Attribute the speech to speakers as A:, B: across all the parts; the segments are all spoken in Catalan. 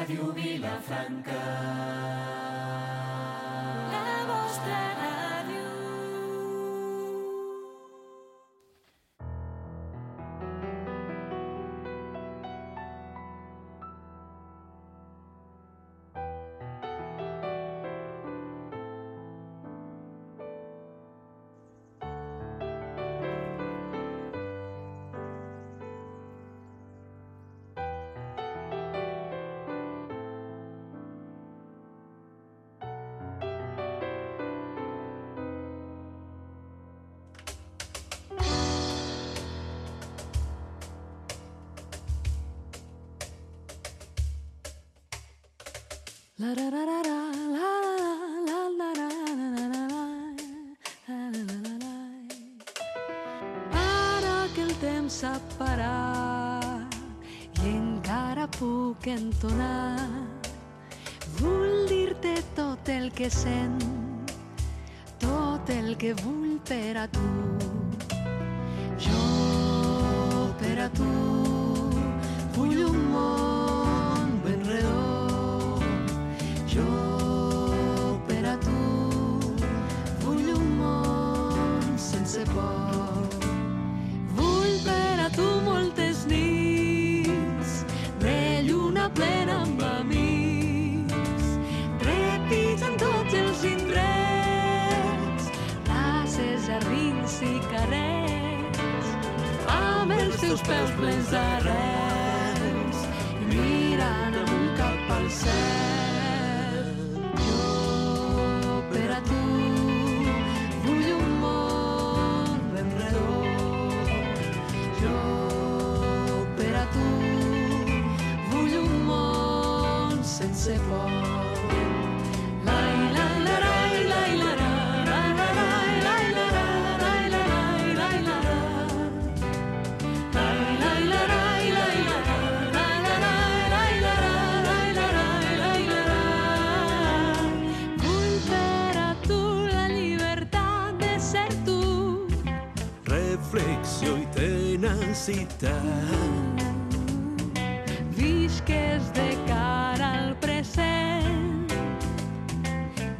A: Ràdio Vilafranca. La vostra ràdio.
B: Ara que el temps s'ha parat i encara puc entonar, vull dir-te tot el que sent, tot el que vull per a tu. Jo per a tu vull un món ben redó. Jo per a tu vull un món sense por. Vull per a tu moltes nits de lluna plena amb amics, trepits en tots els indrets, places, jardins i carrers, amb els teus peus plens d'arrels i mirant amunt cap al cel. Jo per a tu vull un món ben redó. Jo per a tu vull un món sense por.
C: Reflexió i tenacitat.
B: Visques de cara al present,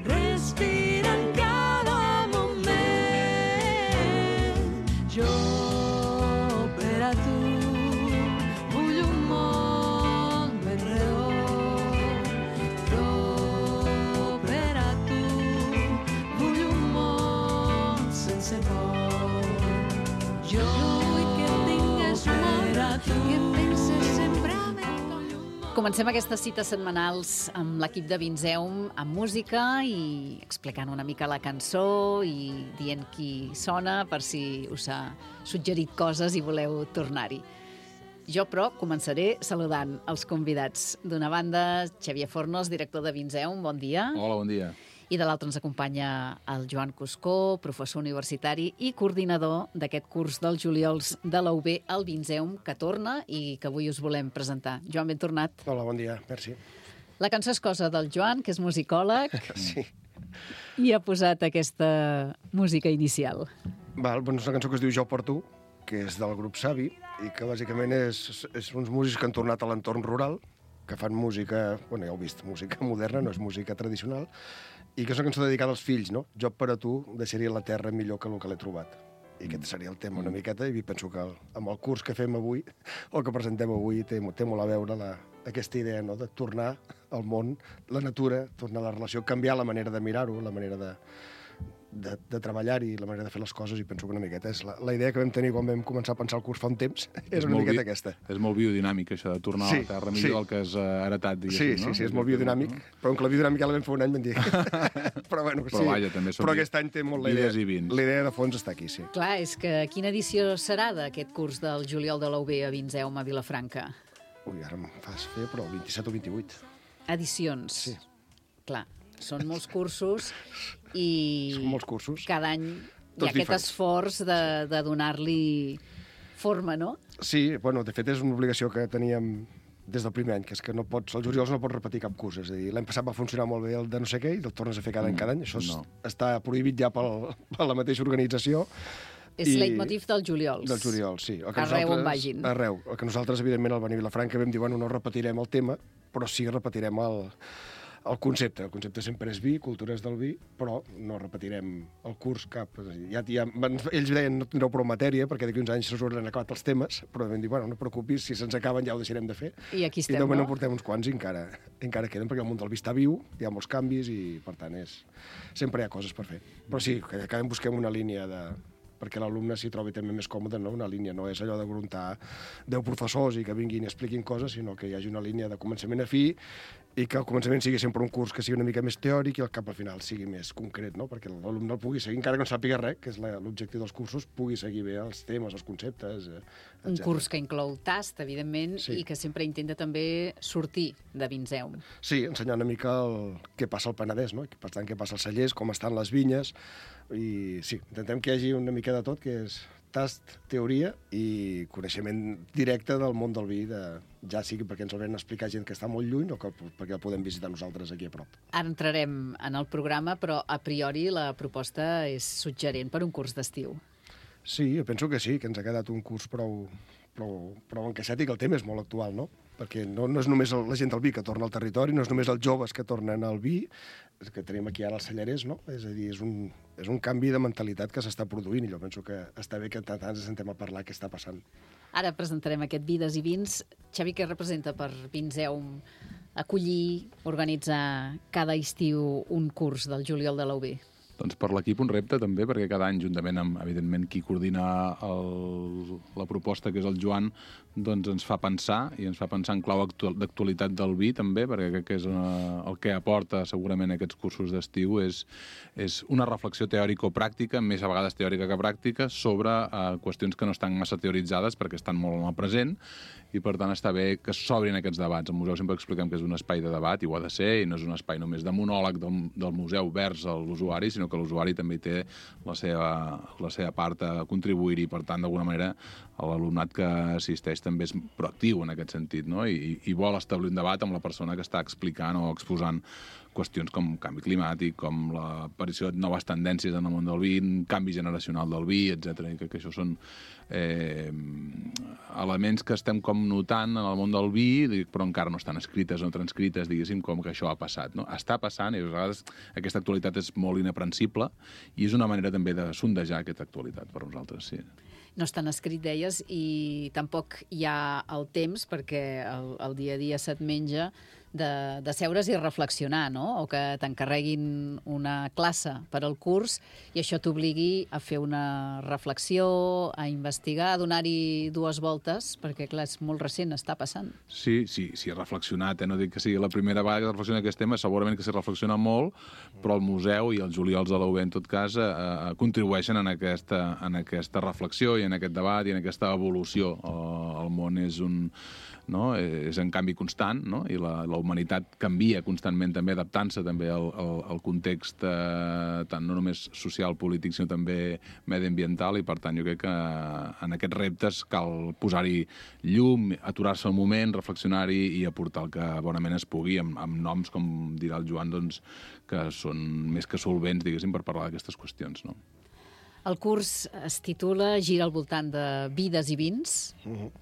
B: respira en cada moment. Jo per a tu vull un món ben redó. Jo per a tu vull un món sense por. Jo vull que tingues molt a tu, que penses sempre en el món.
D: Comencem aquestes cites setmanals amb l'equip de Vinzeum amb música i explicant una mica la cançó i dient qui sona per si us ha suggerit coses i voleu tornar-hi. Jo, però, començaré saludant els convidats. D'una banda, Xavier Fornos, director de Vinzeum, bon dia.
E: Hola, bon dia.
D: I de l'altre ens acompanya el Joan Cuscó, professor universitari i coordinador d'aquest curs dels juliols de la UB al Vinzeum, que torna i que avui us volem presentar. Joan, ben tornat.
F: Hola, bon dia, merci.
D: La cançó és cosa del Joan, que és musicòleg,
F: Sí.
D: i ha posat aquesta música inicial.
F: Val, doncs és una cançó que es diu Jo per tu, que és del grup Savi, i que bàsicament és uns músics que han tornat a l'entorn rural, que fan música, bueno, ja heu vist, música moderna, no és música tradicional, i que és una cançó dedicada als fills, no? Jo per a tu deixaria la terra millor que el que l'he trobat. I aquest seria el tema una miqueta, i penso que amb el curs que fem avui, o que presentem avui, té molt a veure aquesta idea, no?, de tornar al món, la natura, tornar a la relació, canviar la manera de mirar-ho, la manera de treballar-hi, la manera de fer les coses, i penso que una miqueta és la idea que vam tenir quan vam començar a pensar el curs fa un temps, és una miqueta aquesta.
E: És molt biodinàmic, això, de tornar a la terra millor del que has heretat, diguéssim, no?
F: Sí, és molt biodinàmic, però que la biodinàmica la vam fer un any, vam dir. Però bueno, sí.
E: Vaja, també són
F: però aquest any té molt la idea.
E: vides i vins.
F: La idea de fons està aquí, sí.
D: Clar, és que quina edició serà d'aquest curs del juliol de la UB a Vinzeum a Vilafranca?
F: Ui, ara em fas fer, però el 27 o 28.
D: Edicions.
F: Sí.
D: Clar, són molts cursos i
F: Són molts cursos.
D: cada any hi ha
F: Tots
D: aquest
F: diferents.
D: esforç de donar-li forma, no?
F: Sí, bueno, de fet és una obligació que teníem des del primer any, que és que no pots, els juliols no pots repetir cap curs. És a dir, l'any passat va funcionar molt bé el de no sé què i el tornes a fer cada any. Això està prohibit ja per la mateixa organització.
D: És leitmotiv dels juliols.
F: Del juliol, sí.
D: Arreu on vagin.
F: Arreu. El que nosaltres, evidentment, al venir a Vilafranca vam dir, bueno, no repetirem el tema, però sí repetirem el concepte. El concepte sempre és vi, cultures del vi, però no repetirem el curs cap. Ells deien no tindreu prou matèria, perquè d'aquí uns anys s'hauran acabat els temes, però vam dir, bueno, no et preocupis, si se'ns acaben ja ho deixarem de fer.
D: I aquí estem,
F: I de moment
D: no?
F: en portem uns quants i encara queden, perquè el món del vi està viu, hi ha molts canvis i, per tant, sempre hi ha coses per fer. Però sí, que cada any busquem una línia perquè l'alumne s'hi trobi també més còmode, no? Una línia, no és allò de gruntar 10 professors i que vinguin i expliquin coses, sinó que hi hagi una línia de començament a fi i que al començament sigui sempre un curs que sigui una mica més teòric i el cap al final sigui més concret, no? Perquè l'alumne el pugui seguir, encara que no sàpiga res, que és l'objectiu dels cursos, pugui seguir bé els temes, els conceptes, etc.
D: Un curs que inclou tast, evidentment,
F: Sí.
D: i que sempre intenta també sortir de Vinzeum.
F: Sí, ensenyar una mica què passa al Penedès, no? I per tant, què passa als cellers, com estan les vinyes, i sí, intentem que hi hagi una mica de tot, que és tast, teoria i coneixement directe del món del vi, ja sigui perquè ens el venen a explicar gent que està molt lluny o perquè el podem visitar nosaltres aquí a prop.
D: Ara entrarem en el programa, però a priori la proposta és suggerent per un curs d'estiu.
F: Sí, jo penso que sí, que ens ha quedat un curs prou encaixat i que el tema és molt actual, no? Perquè no és només la gent del vi que torna al territori, no és només els joves que tornen al vi, que tenim aquí ara els cellerers, no? És a dir, és un canvi de mentalitat que s'està produint i jo penso que està bé que tant ens sentem a parlar què està passant.
D: Ara presentarem aquest Vides i Vins. Xavi, què representa per Vinzeum acollir, organitzar cada estiu un curs del juliol de l'UB?
E: Doncs per l'equip un repte també, perquè cada any, juntament amb, evidentment, qui coordina la proposta, que és el Joan, doncs ens fa pensar, i ens fa pensar en clau d'actualitat del vi també, perquè crec que és el que aporta segurament aquests cursos d'estiu és una reflexió teòrico-pràctica, més a vegades teòrica que pràctica, sobre qüestions que no estan massa teoritzades perquè estan molt en el present, i per tant està bé que s'obrin aquests debats. Al museu sempre expliquem que és un espai de debat, i ho ha de ser, i no és un espai només de monòleg del museu vers l'usuari, sinó que l'usuari també té la seva part a contribuir-hi, per tant, d'alguna manera, l'alumnat que assisteix també és proactiu en aquest sentit, no? I vol establir un debat amb la persona que està explicant o exposant qüestions com canvi climàtic, com l'aparició de noves tendències en el món del vi, canvi generacional del vi, etc. I que això són elements que estem com notant en el món del vi, però encara no estan escrites o transcrites, diguéssim, com que això ha passat, no? Està passant i a vegades aquesta actualitat és molt inaprensible i és una manera també de sondejar aquesta actualitat per nosaltres, sí.
D: No estan escrit, deies, i tampoc hi ha el temps, perquè el dia a dia se't menja, de seure's i reflexionar, no? O que t'encarreguin una classe per al curs i això t'obligui a fer una reflexió, a investigar, a donar-hi dues voltes, perquè, clar, és molt recent, està passant.
E: Sí, he reflexionat, no dic que sigui la primera vegada que reflexiona aquest tema, segurament que s'hi reflexiona molt, però el museu i els juliols de la UB, en tot cas, contribueixen en aquesta reflexió i en aquest debat i en aquesta evolució. El món és en canvi constant, no? I la humanitat canvia constantment, també adaptant-se també al context tant no només social, polític, sinó també mediambiental, i per tant jo crec que en aquests reptes cal posar-hi llum, aturar-se un moment, reflexionar-hi i aportar el que bonament es pugui, amb noms, com dirà el Joan, doncs, que són més que solvents, diguéssim, per parlar d'aquestes qüestions, no?
D: El curs es titula, gira al voltant de Vides i Vins,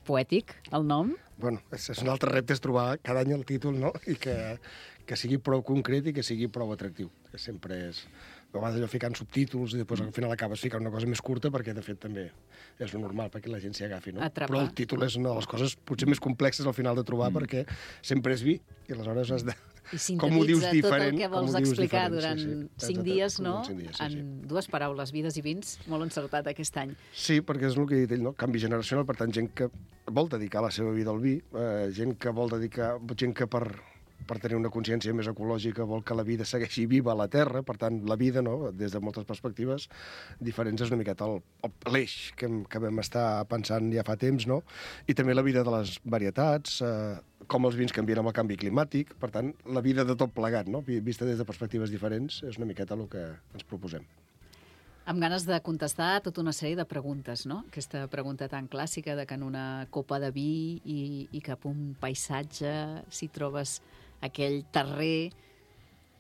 D: poètic, el nom.
F: Bueno, és un altre repte és trobar cada any el títol, no? I que sigui prou concret i que sigui prou atractiu, que sempre és... A vegades allò ficant subtítols i després al final acabes ficant una cosa més curta perquè, de fet, també és normal perquè la gent s'hi agafi, no?
D: Atrapa.
F: Però el títol és una de les coses potser més complexes al final de trobar perquè sempre és vi i aleshores has de...
D: I
F: com ho dius
D: sintetitza tot
F: diferent,
D: el que vols
F: com ho dius
D: explicar
F: diferent,
D: durant
F: sí.
D: 5 dies, no?
F: En 5 dies, sí.
D: En dues paraules, Vides i Vins, molt encertat aquest any.
F: Sí, perquè és el que he dit ell, no? Canvi generacional, per tant, gent que vol dedicar la seva vida al vi, gent que vol dedicar... gent que per tenir una consciència més ecològica vol que la vida segueixi viva a la Terra, per tant, la vida, no? Des de moltes perspectives diferents, és una miqueta l'eix que vam estar pensant ja fa temps, no? I també la vida de les varietats, com els vins canvien amb el canvi climàtic, per tant, la vida de tot plegat, no? Vista des de perspectives diferents, és una miqueta el que ens proposem.
D: Amb ganes de contestar tota una sèrie de preguntes, no? Aquesta pregunta tan clàssica de que en una copa de vi i cap un paisatge, si trobes aquell terrer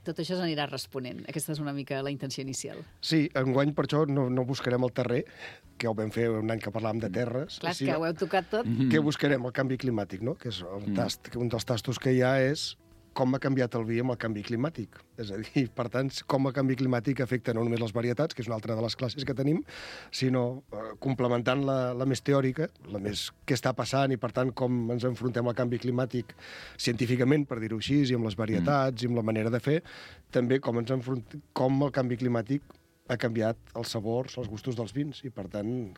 D: tot això s'anirà responent. Aquesta és una mica la intenció inicial.
F: Sí, enguany per això no buscarem el terrer, que ho vam fer un any que parlàvem de terres.
D: Clar, és que ho heu tocat tot.
F: Què buscarem? El canvi climàtic, no? Que és un dels tastos que hi ha és com ha canviat el vi amb el canvi climàtic. És a dir, per tant, com el canvi climàtic afecta no només les varietats, que és una altra de les classes que tenim, sinó complementant la més teòrica, la més què està passant i, per tant, com ens enfrontem al canvi climàtic científicament, per dir-ho així, i amb les varietats, i amb la manera de fer, també com el canvi climàtic ha canviat els sabors, els gustos dels vins, i, per tant,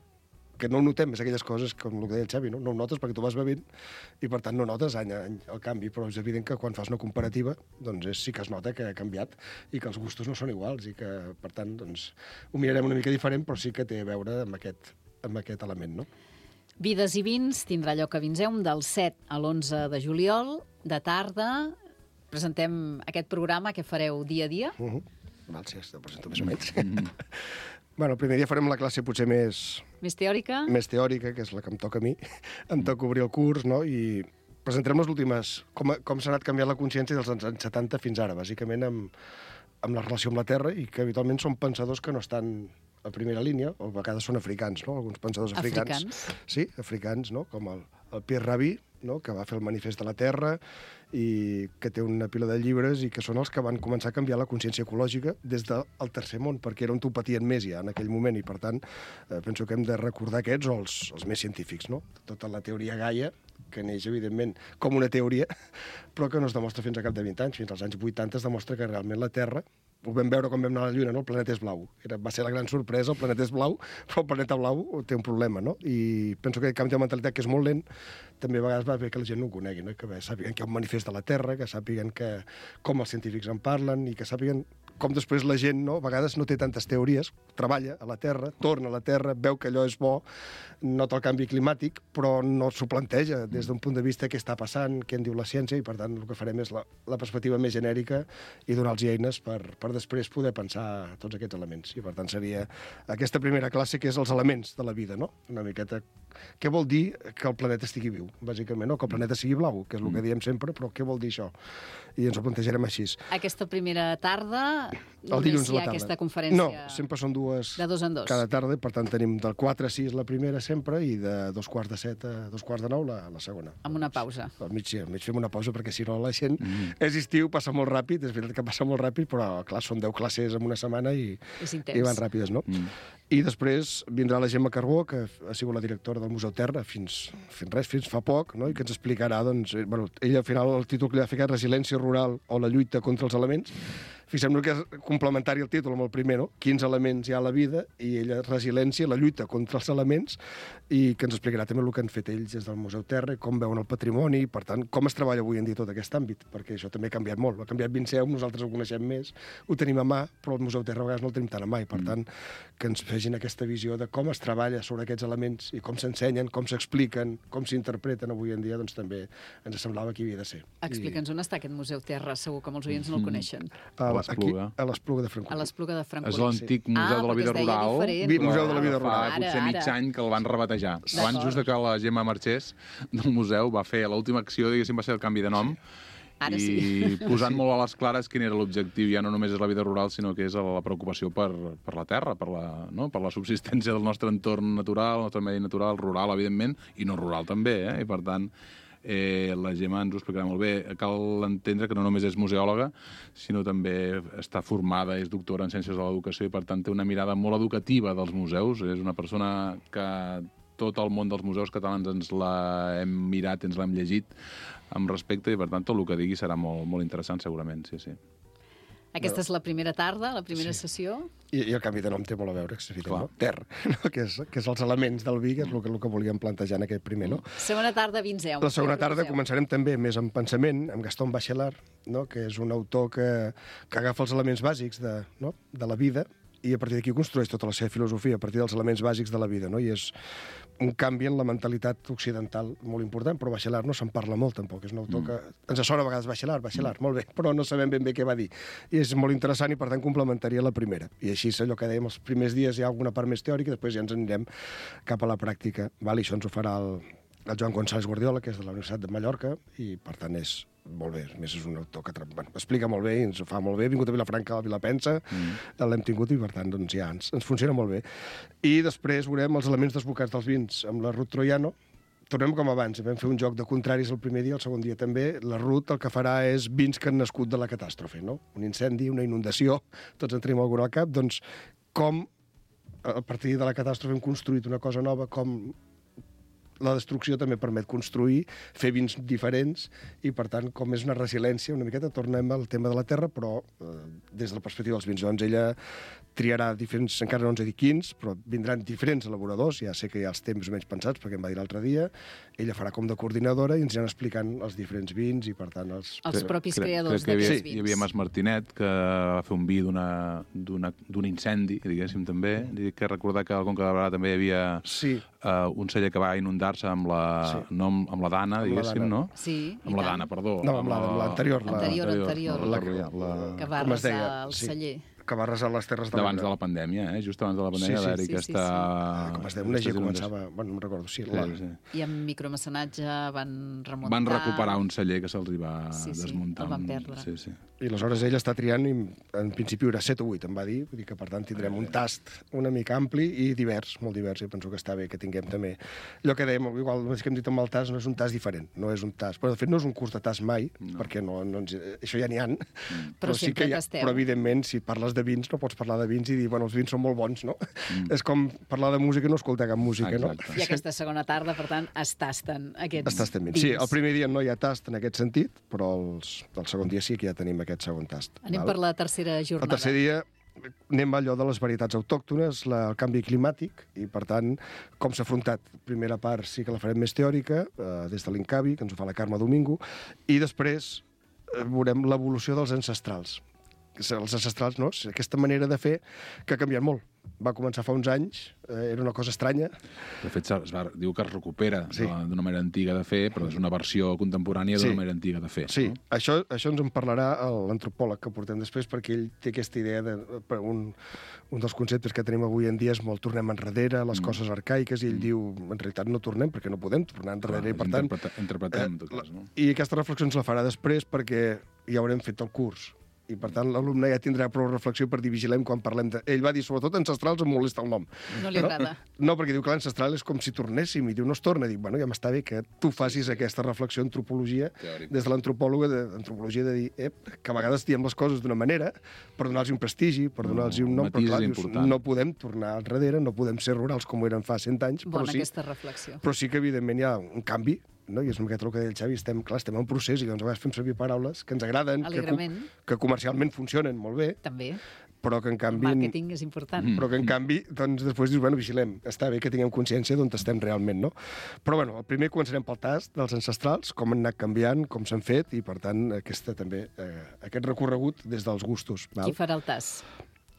F: que no ho notem, és aquelles coses, com el que deia el Xavi, no ho notes perquè tu vas bevent i per tant no notes any a any el canvi, però és evident que quan fas una comparativa doncs sí que es nota que ha canviat i que els gustos no són iguals i que per tant doncs, ho mirarem una mica diferent, però sí que té a veure amb aquest element, no?
D: Vides i vins tindrà lloc a Vinseum del 7 a l'11 de juliol, de tarda. Presentem aquest programa que fareu dia a dia.
F: Val, sí, ho presento més o menys. Bueno, el primer dia farem la classe potser més
D: teòrica,
F: que és la que em toca a mi. Em toca obrir el curs, no? I presentarem les últimes... Com s'ha anat canviant la consciència dels anys 70 fins ara, bàsicament amb la relació amb la terra, i que habitualment són pensadors que no estan a primera línia, o a vegades són africans, no? Alguns pensadors africans. Sí, africans, no? Com el Pierre Rabhi, no? Que va fer el Manifest de la Terra i que té una pila de llibres i que són els que van començar a canviar la consciència ecològica des del tercer món, perquè era on t'ho patien més ja en aquell moment i, per tant, penso que hem de recordar aquests o els més científics, no? Tota la teoria Gaia, que neix, evidentment, com una teoria, però que no es demostra fins a cap de 20 anys. Fins als anys 80 es demostra que realment la Terra, ho vam veure quan vam anar a la Lluna, no? El planeta és blau. Va ser la gran sorpresa, el planeta és blau, però el planeta blau té un problema, no? I penso que el canvi de mentalitat, que és molt lent, també a vegades va bé que la gent no ho conegui, no? Que sàpiguen que hi ha un manifest de la Terra, que sàpiguen com els científics en parlen i que sàpiguen com després la gent, no? A vegades no té tantes teories, treballa a la Terra, torna a la Terra, veu que allò és bo, nota el canvi climàtic, però no s'ho planteja des d'un punt de vista què està passant, què en diu la ciència, i per tant el que farem és la perspectiva més genèrica i donar-los eines per després poder pensar tots aquests elements. I per tant seria aquesta primera classe que és els elements de la vida, no? Una miqueta què vol dir que el planeta estigui viu, bàsicament, no? Que el planeta sigui blau, que és el que diem sempre, però què vol dir això? I ens ho plantejarem així.
D: Aquesta primera tarda,
F: el dilluns a la tarda.
D: Aquesta conferència...
F: No, sempre són dues...
D: De 2 en 2.
F: Cada tarda, per tant tenim del 4 a 6 la primera sempre i de 2:45 a 2:45 la segona.
D: Amb una pausa.
F: Al mig fem una pausa perquè si no la gent... És estiu, passa molt ràpid, és veritat que passa molt ràpid, però clar, són 10 classes en una setmana i van ràpides, no? I després vindrà la Gemma Carbó, que ha sigut la directora del Museu Terra fins fa poc, no? I que ens explicarà, doncs, ella al final el títol que li ha ficat Resiliència rural o la lluita contra els elements. Fixem-nos que és complementari el títol amb el primer, no? Quins elements hi ha a la vida, i ella resiliència, la lluita contra els elements, i que ens explicarà també el que han fet ells des del Museu Terra, com veuen el patrimoni, per tant, com es treballa avui en dia tot aquest àmbit, perquè això també ha canviat molt. Ha canviat Vinseum, nosaltres ho coneixem més, ho tenim a mà, però el Museu Terra a vegades no el tenim tan a mà, i per tant, que ens fegin aquesta visió de com es treballa sobre aquests elements i com s'ensenyen, com s'expliquen, com s'interpreten avui en dia, doncs també ens semblava que hi havia de ser.
D: Explica'ns on està aquest Museu Terra, segur que molts oients no el coneixen.
F: A l'Espluga de Francolí.
D: A l'Espluga de Francolí.
E: És l'antic Museu de la Vida Rural.
F: Museu de la Vida Rural.
E: Fa potser mig any que el van rebatejar. Abans just que la Gemma marxés del museu va fer l'última acció, diguéssim, va ser el canvi de nom.
D: Ara
E: I posant molt a les clares quin era l'objectiu. Ja no només és la vida rural, sinó que és la preocupació per la terra, per la subsistència del nostre entorn natural, el nostre medi natural, rural, evidentment, i no rural també, I per tant, la Gemma ens ho explicarà molt bé. Cal entendre que no només és museòloga, sinó també està formada, és doctora en Ciències de l'Educació i per tant té una mirada molt educativa dels museus. És una persona que tot el món dels museus catalans ens l'hem mirat, ens l'hem llegit amb respecte i per tant tot el que digui serà molt, molt interessant segurament, sí.
D: Aquesta és la primera tarda, la primera sessió.
F: I el canvi de nom té molt a veure, no? Terra, no? Que és els elements del vi, que és el que volíem plantejar en aquest primer, no?
D: Segona tarda, Vinseum.
F: La segona tarda començarem també més en pensament, amb Gaston Bachelard, no? Que és un autor que agafa els elements bàsics de la vida i a partir d'aquí construeix tota la seva filosofia a partir dels elements bàsics de la vida, no? I és un canvi en la mentalitat occidental molt important, però Bachelard no se'n parla molt tampoc, és un autor que ens sona a vegades Bachelard, molt bé, però no sabem ben bé què va dir. I és molt interessant i per tant complementaria la primera. I així és allò que dèiem, els primers dies hi ha alguna part més teòrica, després ja ens anirem cap a la pràctica. I això ens ho farà el Joan González Guardiola, que és de la Universitat de Mallorca, i per tant és molt bé. A més, és un autor que explica molt bé i ens ho fa molt bé. Ha vingut a Vilafranca, a Vilapensa, l'hem tingut i, per tant, doncs ja ens funciona molt bé. I després veurem els elements desbocats dels vins amb la Ruth Troiano. Tornem com abans, vam fer un joc de contraris el primer dia, el segon dia també. La Ruth el que farà és vins que han nascut de la catàstrofe, no? Un incendi, una inundació, tots en tenim alguna al cap, doncs com a partir de la catàstrofe hem construït una cosa nova, com la destrucció també permet construir, fer vins diferents, i per tant, com és una resiliència, una miqueta tornem al tema de la terra, però des de la perspectiva dels vins. Doncs ella triarà diferents, encara no ens he dit quins, però vindran diferents elaboradors, ja sé que hi ha els temps menys pensats, perquè em va dir l'altre dia, ella farà com de coordinadora i ens aniran explicant els diferents vins i, per tant, els
D: propis creadors
E: crec que
D: d'aquests vins.
E: Hi havia Mas Martinet, que va fer un vi d'un incendi, diguéssim, també. Dic que recordar que al Conca de Barberà també hi havia un celler que va inundar-se amb la Dana, diguéssim, no?
D: Sí,
E: amb la Dana, perdó.
F: No, amb l'anterior.
D: Que va arrasar el celler.
F: Que va arrasar les terres de
E: l'Ebre. Abans de la pandèmia, just abans de la pandèmia, va-hi aquesta...
F: Com es deia, una gent començava... Bueno, no em recordo,
D: I amb micromecenatge van remuntar...
E: Van recuperar un celler que se'ls va desmuntar.
D: El van perdre.
F: I aleshores ella està triant, i en principi era 7 o 8, em va dir, vull dir que per tant tindrem un tast una mica ampli i divers, molt divers, i penso que està bé que tinguem també... Allò que dèiem, igual el que hem dit amb el tast, no és un tast diferent, no és un tast... Però de fet no és un curs de tast mai, perquè això ja n'hi ha,
D: però sí que
F: però evidentment, si parles de vins, no pots parlar de vins i dir, bueno, els vins són molt bons, no? És com parlar de música i no escoltar cap música, no?
D: I aquesta segona tarda, per tant, es tasten aquests vins.
F: Sí, el primer dia no hi ha tast en aquest sentit, però el segon dia sí que ja tenim aquest segon tast.
D: Anem per la tercera jornada.
F: El tercer dia anem a allò de les varietats autòctones, el canvi climàtic, i per tant, com s'ha afrontat. Primera part sí que la farem més teòrica, des de l'Incavi, que ens ho fa la Carme Domingo, i després veurem l'evolució dels ancestrals. Els ancestrals, no? Aquesta manera de fer que ha canviat molt. Va començar fa uns anys, era una cosa estranya.
E: De fet, diu que es recupera d'una manera antiga de fer, però és una versió contemporània d'una manera antiga de fer.
F: Sí, això ens en parlarà l'antropòleg que portem després, perquè ell té aquesta idea un dels conceptes que tenim avui en dia és molt tornem enrere, les coses arcaiques, i ell diu, en realitat no tornem, perquè no podem tornar enrere, i per tant...
E: Interpretem, en tot cas, no?
F: I aquesta reflexió ens la farà després, perquè ja haurem fet el curs. I, per tant, l'alumne ja tindrà prou reflexió per dir vigilem quan parlem de... Ell va dir, sobretot ancestrals, em molesta el nom.
D: No li agrada.
F: No, perquè diu que l'ancestral és com si tornéssim, i diu, no es torna. Dic, bueno, ja m'està bé que tu facis aquesta reflexió antropologia, des de l'antropòloga d'antropologia, de dir, que a vegades diem les coses d'una manera per donar-los un prestigi, per donar-los un nom, però clar, dius, no podem tornar enrere, no podem ser rurals com ho eren fa 100 anys,
D: aquesta reflexió.
F: Però sí que, evidentment, hi ha un canvi, no? I és una miqueta el que deia el Xavi, estem en procés i doncs a vegades fem servir paraules que ens agraden, que comercialment funcionen molt bé,
D: també,
F: però que en canvi...
D: El màrqueting és important.
F: Però que en canvi, doncs després dius, bueno, vigilem, està bé que tinguem consciència d'on estem realment, no? Però bueno, el primer començarem pel tast dels ancestrals, com han anat canviant, com s'han fet, i per tant aquest recorregut des dels gustos.
D: Qui farà el tast?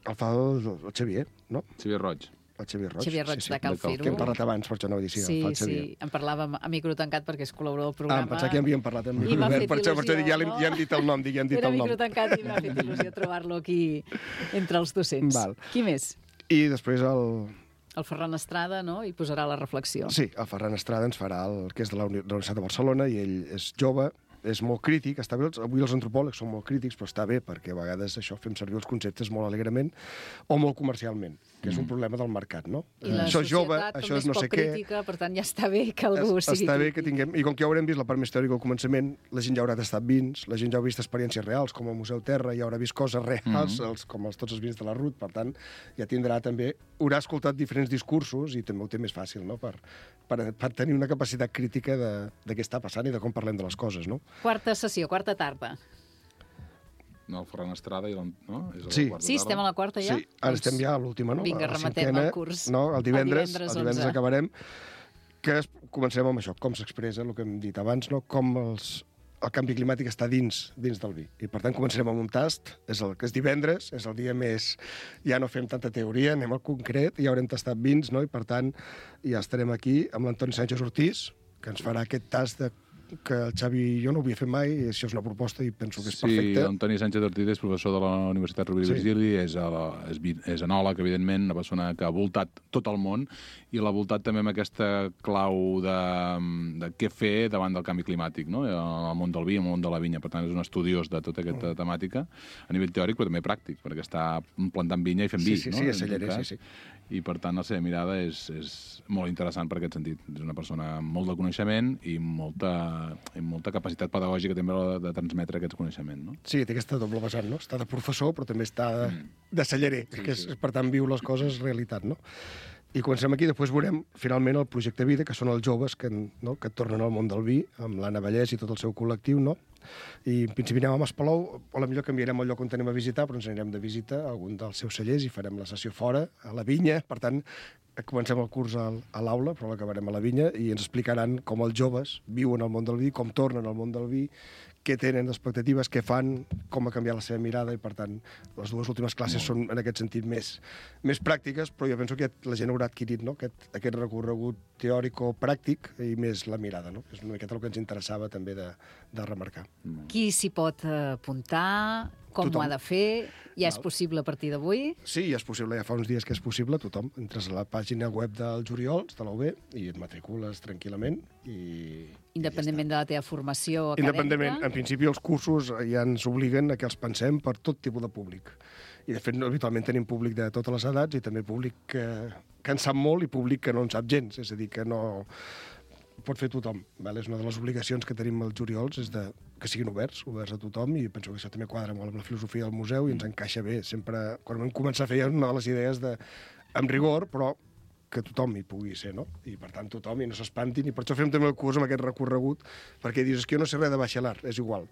F: El fa el Xavier, no?
E: Xavier Roig.
F: El Xavier Roig,
D: de Cal Fer-ho.
F: Que hem parlat abans, per això no ho dic,
D: sí, en parlàvem a micro tancat perquè és col·laborador del programa.
F: Em pensava que ja havíem parlat amb micro obert, per això dic, ja hem dit el nom,
D: Era micro tancat i m'ha fet il·lusió trobar-lo aquí entre els docents. Qui més?
F: I després
D: el Ferran Estrada, no? I posarà la reflexió.
F: Sí, el Ferran Estrada ens farà el que és de la Universitat de Barcelona, i ell és jove, és molt crític, està bé, avui els antropòlegs són molt crítics, però està bé, perquè a vegades això fem servir els conceptes molt alegrement o molt comercialment, que és un problema del mercat, no?
D: I la societat també és poc crítica, per tant ja està bé que algú sigui crític.
F: Està bé que tinguem... I com que ja haurem vist la part més teòrica al començament, la gent ja haurà tastat vins, la gent ja ha vist experiències reals, com el Museu Terra, ja haurà vist coses reals, com tots els vins de la Ruth, per tant, ja tindrà també... Haurà escoltat diferents discursos i també ho té més fàcil, no?, per tenir una capacitat crítica de què està passant i de com parlem de les coses, no?
D: Quarta sessió, quarta tarda.
E: No, el Ferran Estrada i no?
F: Sí,
D: estem a la quarta ja?
F: Sí, ara estem ja a l'última, no?
D: Vinga, rematem el curs.
F: No, el divendres acabarem, que començarem amb això, com s'expressa, el que hem dit abans, no? Com el canvi climàtic està dins del vi. I per tant començarem amb un tast, és divendres, és el dia més... Ja no fem tanta teoria, anem al concret, ja haurem tastat vins, no? I per tant ja estarem aquí amb l'Antoni Sánchez Ortiz, que ens farà aquest tast que el Xavi i jo no ho havia fet mai, i això és una proposta i penso que és perfecte.
E: Sí, Antoni Sánchez Ortiz és professor de la Universitat Rovira i Virgili, és enòleg, evidentment, una persona que ha voltat tot el món, i l'ha voltat també amb aquesta clau de què fer davant del canvi climàtic, no? El món del vi, el món de la vinya. Per tant, és un estudiós de tota aquesta temàtica, a nivell teòric, però també pràctic, perquè està plantant vinya i fent vi, no?
F: Sí, a Celler, sí.
E: I, per tant, la seva mirada és molt interessant per aquest sentit. És una persona amb molt de coneixement i molta capacitat pedagògica també de transmetre aquest coneixement, no?
F: Sí, té aquesta doble vessant, no? Està de professor, però també està de cellerer, que és, per tant, viu les coses realitat, no? I comencem aquí, després veurem, finalment, el projecte Vida, que són els joves que tornen al món del vi, amb l'Anna Vallès i tot el seu col·lectiu, no? I en principi anem a Maspalou, o potser canviarem el lloc on anem a visitar, però ens anirem de visita a algun dels seus cellers i farem la sessió fora, a la vinya. Per tant, comencem el curs a l'aula, però l'acabarem a la vinya, i ens explicaran com els joves viuen al món del vi, com tornen al món del vi, què tenen expectatives, què fan, com ha canviat la seva mirada, i per tant les dues últimes classes són en aquest sentit més pràctiques, però jo penso que la gent haurà adquirit, no? aquest recorregut teòric o pràctic i més la mirada, no? És una miqueta el que ens interessava també de remarcar.
D: Qui s'hi pot apuntar? Com
F: Tothom.
D: ho ha de fer? Ja és possible a partir d'avui?
F: Sí, ja és possible, ja fa uns dies que és possible, tothom. Entres a la pàgina web dels Oriols, de la UB, i et matricules tranquil·lament.
D: Independentment de la teva formació acadèmica?
F: Independentment. En principi, els cursos ja ens obliguen a que els pensem per tot tipus de públic. I, de fet, habitualment tenim públic de totes les edats i també públic que en sap molt i públic que no en sap gens. És a dir, que no pot fer tothom. Val? És una de les obligacions que tenim els Oriols, és que siguin oberts a tothom, i penso que això també quadra molt amb la filosofia del museu i ens encaixa bé. Sempre, quan vam començar a fer una de les idees amb rigor, però que tothom hi pugui ser, no? I, per tant, tothom, i no s'espantin, i per això fem també el curs amb aquest recorregut, perquè dius, és que jo no sé res de baixelar, és igual.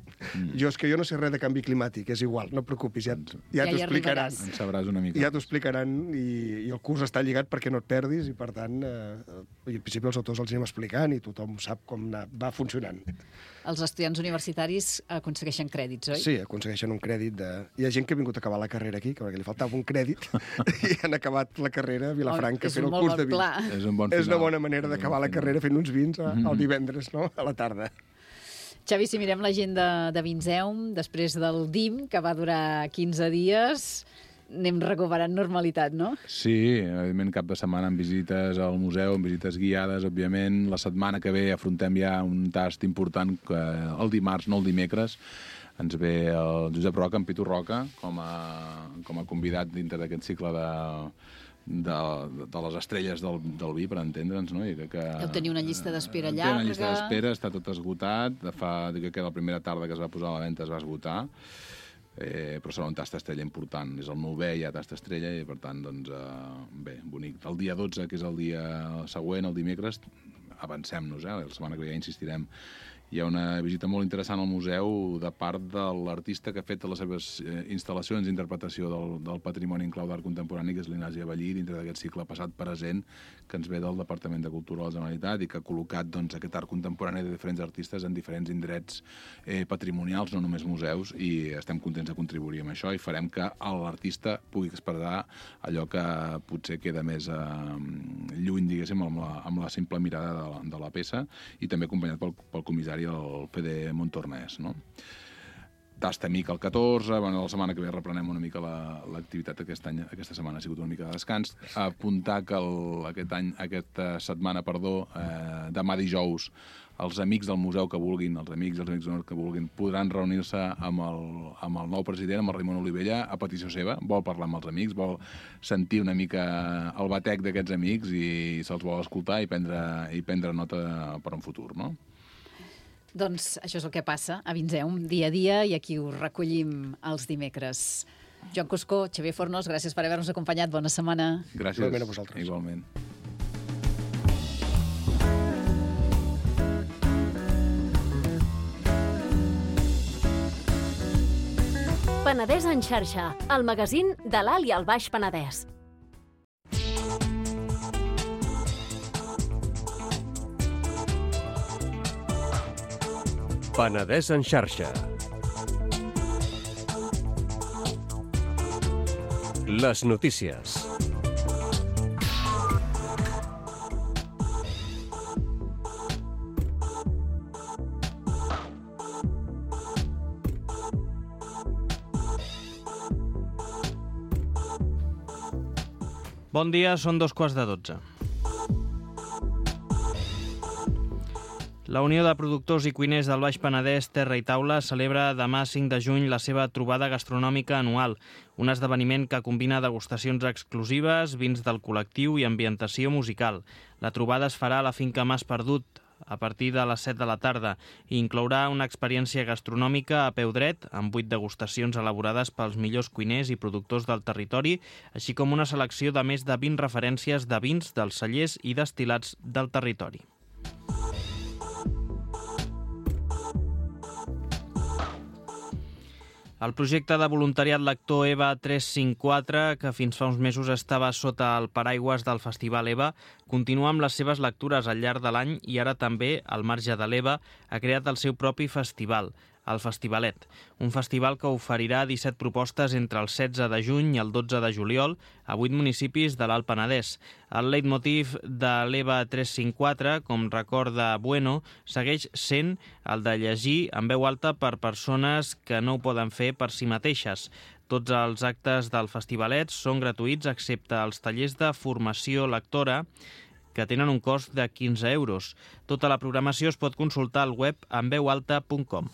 F: És que jo no sé res de canvi climàtic, és igual, no et preocupis, ja t'ho explicaran.
E: En sabràs una mica.
F: Ja t'ho explicaran, i el curs està lligat perquè no et perdis, i, per tant, i al principi els autors els anem explicant, i tothom sap com va funcionant.
D: Els estudiants universitaris aconsegueixen crèdits, oi?
F: Sí, aconsegueixen un crèdit Hi ha gent que ha vingut a acabar la carrera aquí, perquè li faltava un crèdit, i han acabat la carrera a Vilafranca fent el curs de vins.
E: És un bon final.
F: És una bona manera d'acabar la carrera fent uns vins el divendres, no? A la tarda.
D: Xavi, si mirem l'agenda de Vinseum, després del DIM, que va durar 15 dies, anem recuperant normalitat, no?
E: Sí, evidentment cap de setmana amb visites al museu, amb visites guiades, òbviament. La setmana que ve afrontem ja un tast important que el dimarts, no el dimecres, ens ve el Josep Roca, en Pitu Roca, com a convidat dintre d'aquest cicle de les estrelles del vi, per entendre'ns, no?
D: Deu tenir una llista d'espera llarga.
E: Té una llista d'espera, està tot esgotat. Dic que la primera tarda que es va posar a la venda es va esgotar. Però serà un tast estrella important. És el 9è ja tast estrella i, per tant, doncs, bé, bonic. El dia 12, que és el dia següent, el dimecres, avancem-nos, la setmana que ve ja insistirem. Hi ha una visita molt interessant al museu de part de l'artista que ha fet les seves instal·lacions d'interpretació del patrimoni en clau d'art contemporani, que és l'Ignasi Avellí, dintre d'aquest cicle passat-present que ens ve del Departament de Cultura de la Generalitat i que ha col·locat aquest art contemporani de diferents artistes en diferents indrets patrimonials, no només museus, i estem contents de contribuir amb això i farem que l'artista pugui expressar allò que potser queda més lluny, diguéssim, amb la simple mirada de la peça, i també acompanyat pel comissari, el Fede Montornès, no? Tast amic el 14, la setmana que ve reprenem una mica l'activitat aquesta setmana ha sigut una mica de descans. Apuntar que aquesta setmana, demà dijous, els amics del museu que vulguin, els amics d'honor que vulguin, podran reunir-se amb el nou president, amb el Raimon Olivella, a petició seva. Vol parlar amb els amics, vol sentir una mica el batec d'aquests amics i se'ls vol escoltar i prendre nota per un futur, no?
D: Doncs això és el que passa a Vinseum, dia a dia, i aquí ho recollim els dimecres. Joan Cuscó, Xavier Fornós, gràcies per haver-nos acompanyat. Bona setmana.
E: Gràcies.
F: Igualment a vosaltres.
E: Igualment.
C: Penedès en xarxa, el magazín de l'Alt i el Baix Penedès.
G: Penedès en xarxa. Les notícies.
H: Bon dia, són 2:15. La Unió de Productors i Cuiners del Baix Penedès, Terra i Taula, celebra demà 5 de juny la seva trobada gastronòmica anual, un esdeveniment que combina degustacions exclusives, vins del col·lectiu i ambientació musical. La trobada es farà a la finca Mas Perdut, a partir de les 7 de la tarda, i inclourà una experiència gastronòmica a peu dret, amb 8 degustacions elaborades pels millors cuiners i productors del territori, així com una selecció de més de 20 referències de vins dels cellers i destil·lats del territori. El projecte de voluntariat lector EVA 354, que fins fa uns mesos estava sota el paraigües del Festival EVA, continua amb les seves lectures al llarg de l'any i ara també, al marge de l'EVA, ha creat el seu propi festival, el Festivalet, un festival que oferirà 17 propostes entre el 16 de juny i el 12 de juliol a 8 municipis de l'Alt Penedès. El leitmotiv de l'EVA 354, com recorda Bueno, segueix sent el de llegir en veu alta per persones que no ho poden fer per si mateixes. Tots els actes del Festivalet són gratuïts excepte els tallers de formació lectora, que tenen un cost de 15 euros. Tota la programació es pot consultar al web enveualta.com.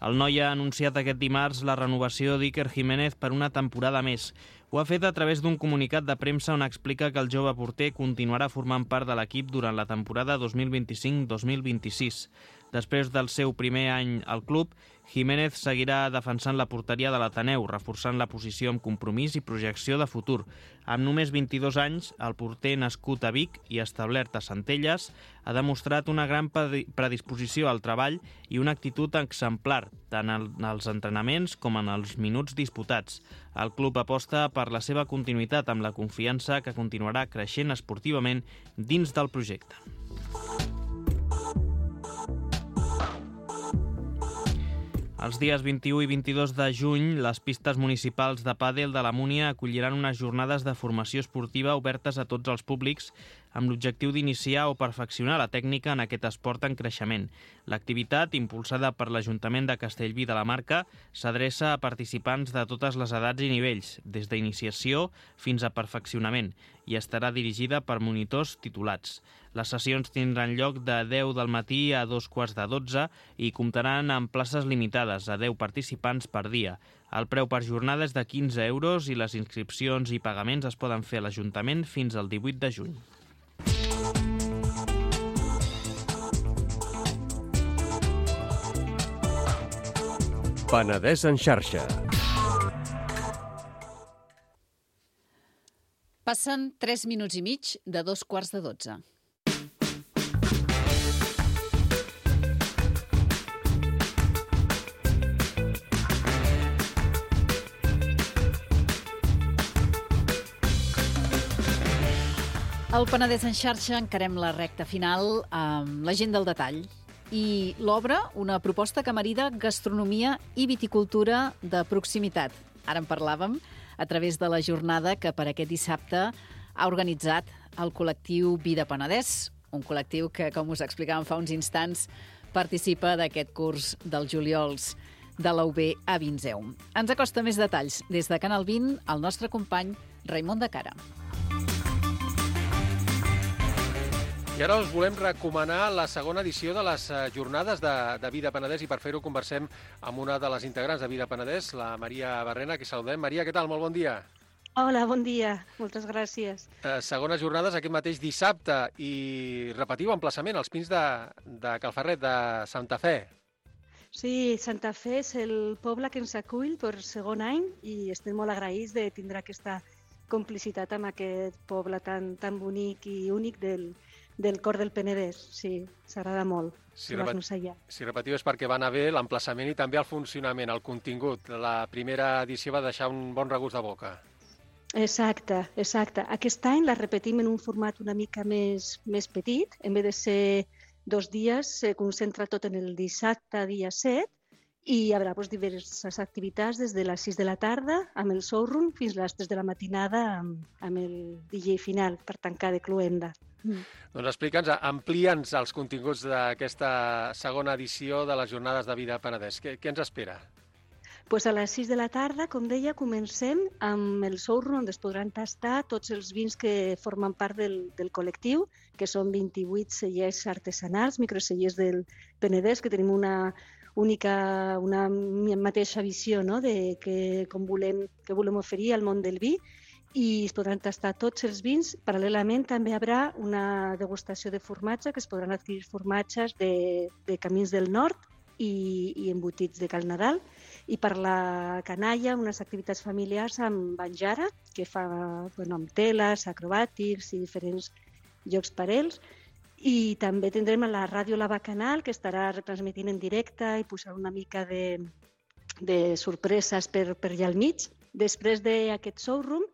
H: El noi ha anunciat aquest dimarts la renovació d'Iker Jiménez per una temporada més. Ho ha fet a través d'un comunicat de premsa on explica que el jove porter continuarà formant part de l'equip durant la temporada 2025-2026. Després del seu primer any al club, Jiménez seguirà defensant la porteria de l'Ateneu, reforçant la posició amb compromís i projecció de futur. Amb només 22 anys, el porter nascut a Vic i establert a Centelles ha demostrat una gran predisposició al treball i una actitud exemplar, tant en els entrenaments com en els minuts disputats. El club aposta per la seva continuïtat amb la confiança que continuarà creixent esportivament dins del projecte. Els dies 21 i 22 de juny, les pistes municipals de pàdel de la Múnia acolliran unes jornades de formació esportiva obertes a tots els públics amb l'objectiu d'iniciar o perfeccionar la tècnica en aquest esport en creixement. L'activitat, impulsada per l'Ajuntament de Castellví de la Marca, s'adreça a participants de totes les edats i nivells, des d'iniciació fins a perfeccionament, i estarà dirigida per monitors titulats. Les sessions tindran lloc de 10 del matí a 2:15 i comptaran amb places limitades a 10 participants per dia. El preu per jornada és de 15 euros i les inscripcions i pagaments es poden fer a l'Ajuntament fins al 18 de juny.
G: Penedès en xarxa.
D: Passen 3 minuts i mig de 2:15. Al Penedès en xarxa encarem la recta final amb la gent del detall i l'obra, una proposta que marida gastronomia i viticultura de proximitat. Ara en parlàvem a través de la jornada que per aquest dissabte ha organitzat el col·lectiu Vida Penedès, un col·lectiu que, com us explicàvem fa uns instants, participa d'aquest curs dels juliols de la UB a Vinzeum. Ens acosta més detalls des de Canal 20 el nostre company Raimon de Cara.
I: I ara us volem recomanar la segona edició de les jornades de Vida Penedès i per fer-ho conversem amb una de les integrants de Vida Penedès, la Maria Barrena, que saludem. Maria, què tal? Molt bon dia.
J: Hola, bon dia. Moltes gràcies.
I: Segones jornades aquest mateix dissabte i repetiu emplaçament als Pins de Calferret, de Santa Fe.
J: Sí, Santa Fe és el poble que ens acull per segon any i estem molt agraïts de tindre aquesta complicitat amb aquest poble tan bonic i únic del cor del Penedès. Sí, s'agrada molt.
I: Si repetiu és perquè va anar bé l'emplaçament i també el funcionament, el contingut. La primera edició va deixar un bon regust de boca.
J: Exacte. Aquest any la repetim en un format una mica més petit. En vez de ser 2 dies, se concentra tot en el dissabte, dia 7, i hi haurà diverses activitats des de les 6 de la tarda amb el showroom fins a les 3 de la matinada amb el DJ final per tancar de cloenda.
I: Doncs explica'ns, amplia'ns els continguts d'aquesta segona edició de les Jornades de Vida Penedès. Què ens espera?
J: Pues a les 6 de la tarda, com deia, comencem amb el showroom on es podran tastar tots els vins que formen part del col·lectiu, que són 28 cellers artesanals, microcellers del Penedès, que tenim una mateixa visió, no?, de que volem oferir al món del vi, i es podran tastar tots els vins. Paral·lelament també hi haurà una degustació de formatge, que es podran adquirir formatges de Camins del Nord i embotits de Cal Nadal. I per la canalla, unes activitats familiars amb Banjara, que fa amb teles, acrobàtics i diferents jocs per ells. I també tindrem a la ràdio La Bacanal, que estarà retransmitint en directe i posarà una mica de sorpreses per allà al mig. Després d'aquest showroom,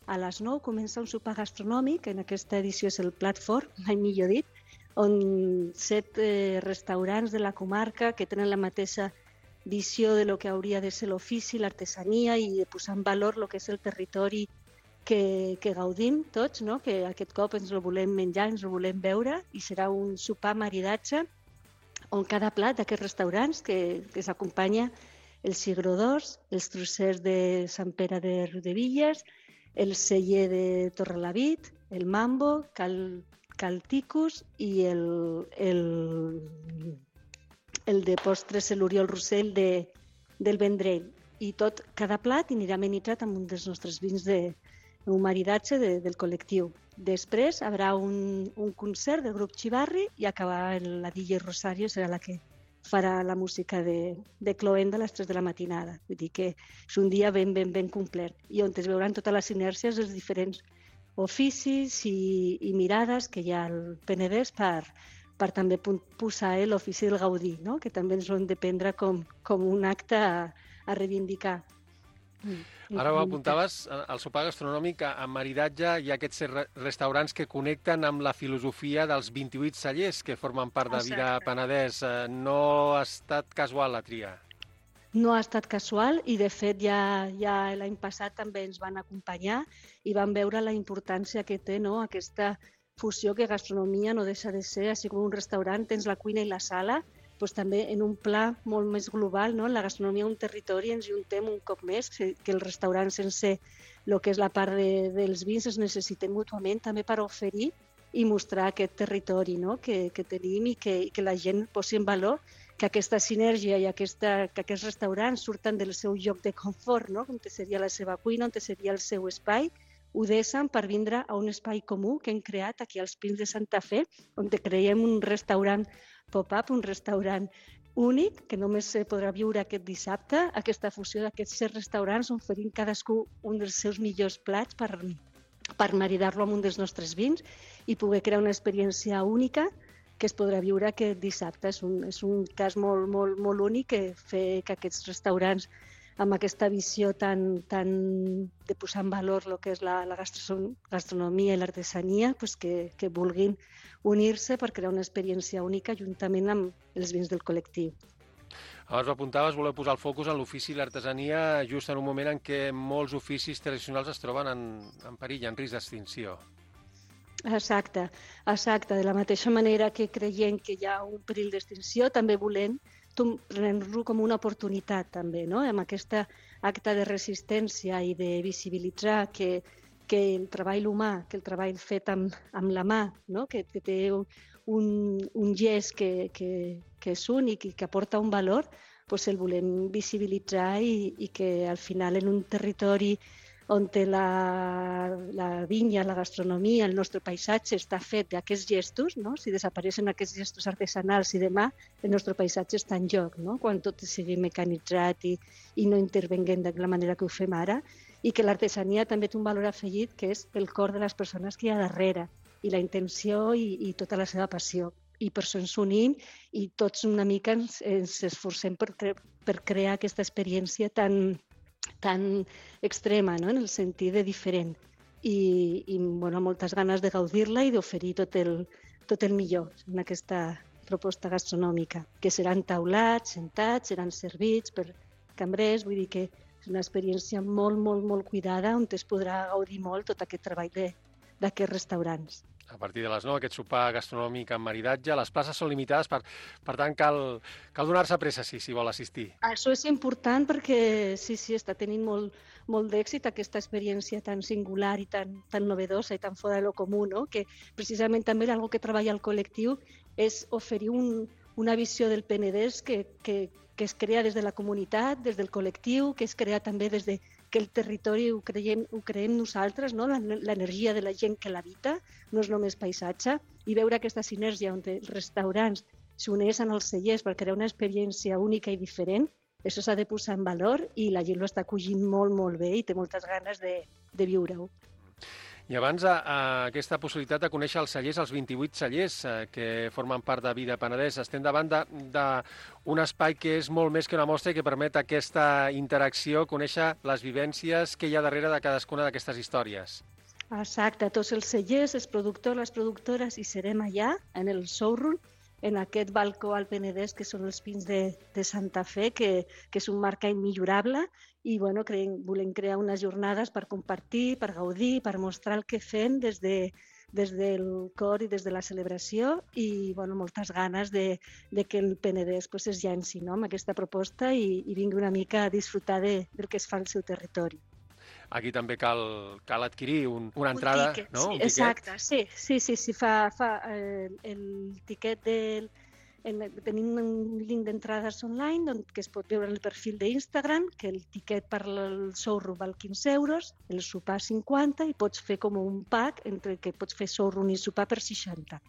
J: a les 9 comença un sopar gastronòmic, en aquesta edició és el plat fort, mai millor dit, on 7 restaurants de la comarca que tenen la mateixa visió de lo que hauria de ser l'ofici, l'artesania i de posar en valor el que és el territori que gaudim tots, no? Que aquest cop ens el volem menjar, ens el volem veure, i serà un sopar maridatge on cada plat d'aquests restaurants que s'acompanya el cigró d'Ors, els trossers de Sant Pere de Riudevilles, el celler de Torrelavit, el mambo, Cal Ticus i el de postres l'Oriol Rossell del Vendrell. I cada plat anirà amenitzat amb un dels nostres vins un maridatge del col·lectiu. Després hi haurà un concert del grup Xivarri i acabar la DJ Rosario, serà la que farà la música de cloenda a les 3 de la matinada. Vull dir que és un dia ben complet i on es veuran totes les sinèrgies dels diferents oficis i mirades que hi ha al Penedès per també posar l'ofici del Gaudí, no? Que també ens ho hem de prendre com un acte a reivindicar.
I: Ara ho apuntaves, al sopar gastronòmic, amb maridatge hi ha aquests restaurants que connecten amb la filosofia dels 28 cellers que formen part de Vida Penedès. No ha estat casual la tria?
J: No ha estat casual i, de fet, ja l'any passat també ens van acompanyar i van veure la importància que té, no?, aquesta fusió que gastronomia no deixa de ser, així com un restaurant tens la cuina i la sala, doncs també en un pla molt més global, no? La gastronomia d'un territori ens juntem un cop més, que el restaurant sense el que és la part dels vins es necessitem mútuament també per oferir i mostrar aquest territori, no?, que tenim i que la gent posi en valor que aquesta sinergia i que aquests restaurants surten del seu lloc de confort, no?, on seria la seva cuina, on seria el seu espai, ho deixen per vindre a un espai comú que hem creat aquí als Pins de Santa Fe, on creiem un restaurant pop-up, un restaurant únic, que només se podrà viure aquest dissabte, aquesta fusió d'aquests 7 restaurants oferint cadascú un dels seus millors plats per maridar-lo amb un dels nostres vins i poder crear una experiència única que es podrà viure aquest dissabte. És un cas molt únic que fer que aquests restaurants amb aquesta visió tan de posar en valor el que és la gastronomia i l'artesania, que vulguin unir-se per crear una experiència única juntament amb els vins del col·lectiu.
I: Abans ho apuntaves, voleu posar el focus en l'ofici i l'artesania just en un moment en què molts oficis tradicionals es troben en perill, en risc d'extinció.
J: Exacte. De la mateixa manera que creiem que hi ha un perill d'extinció, també volem prendre-lo com una oportunitat, també, no? Amb aquest acte de resistència i de visibilitzar que el treball humà, que el treball fet amb la mà, no?, que té un gest que és únic i que aporta un valor, doncs el volem visibilitzar i que al final en un territori on la vinya, la gastronomia, el nostre paisatge està fet d'aquests gestos, no? Si desapareixen aquests gestos artesanals i demà el nostre paisatge està en joc, no? Quan tot sigui mecanitzat i no intervenguem de la manera que ho fem ara, i que l'artesania també té un valor afegit que és el cor de les persones que hi ha darrere i la intenció i tota la seva passió. I per això ens unim i tots una mica ens esforcem per crear aquesta experiència tan extrema, no?, en el sentit de diferent i moltes ganes de gaudir-la i d'oferir tot el millor en aquesta proposta gastronòmica, que seran taulats, sentats, seran servits per cambrers, vull dir que és una experiència molt cuidada on es podrà gaudir molt tot aquest treball d'aquests restaurants.
I: A partir de les 9, aquest sopar gastronòmic amb maridatge. Les places són limitades, per tant, cal donar-se pressa si vol assistir.
J: Això és important perquè sí, està tenint molt d'èxit aquesta experiència tan singular i tan novedosa i tan fora de lo comú, no? Que precisament també algo que treballa el col·lectiu és oferir una visió del Penedès que es crea des de la comunitat, des del col·lectiu, que es crea també des de que el territori ho creem nosaltres, no? L'energia de la gent que l'habita, no és només paisatge, i veure aquesta sinergia on els restaurants s'uneixen als cellers per crear una experiència única i diferent, això s'ha de posar en valor i la gent ho està acollint molt, molt bé i té moltes ganes de viure-ho.
I: I abans aquesta possibilitat de conèixer els cellers, els 28 cellers que formen part de Vida Penedès, estem davant d'un espai que és molt més que una mostra i que permet aquesta interacció, conèixer les vivències que hi ha darrere de cadascuna d'aquestes històries.
J: Exacte, tots els cellers, els productors, les productores, hi serem allà, en el showroom, en aquest balcó al Penedès, que són els pins de Santa Fe, que és un marc immillorable, i volem crear unes jornades per compartir, per gaudir, per mostrar el que fem des del cor i des de la celebració, i moltes ganes de que el Penedès es llenci amb aquesta proposta i vingui una mica a disfrutar del que es fa al seu territori.
I: Aquí també cal adquirir una entrada,
J: tiquet,
I: no?
J: Sí, exacte, sí. Fa el tiquet tenim un link d'entrades online que es pot veure en el perfil d'Instagram, que el tiquet per al showroom val 15 euros, el sopar 50, i pots fer com un pack entre que pots fer showroom i sopar per 60.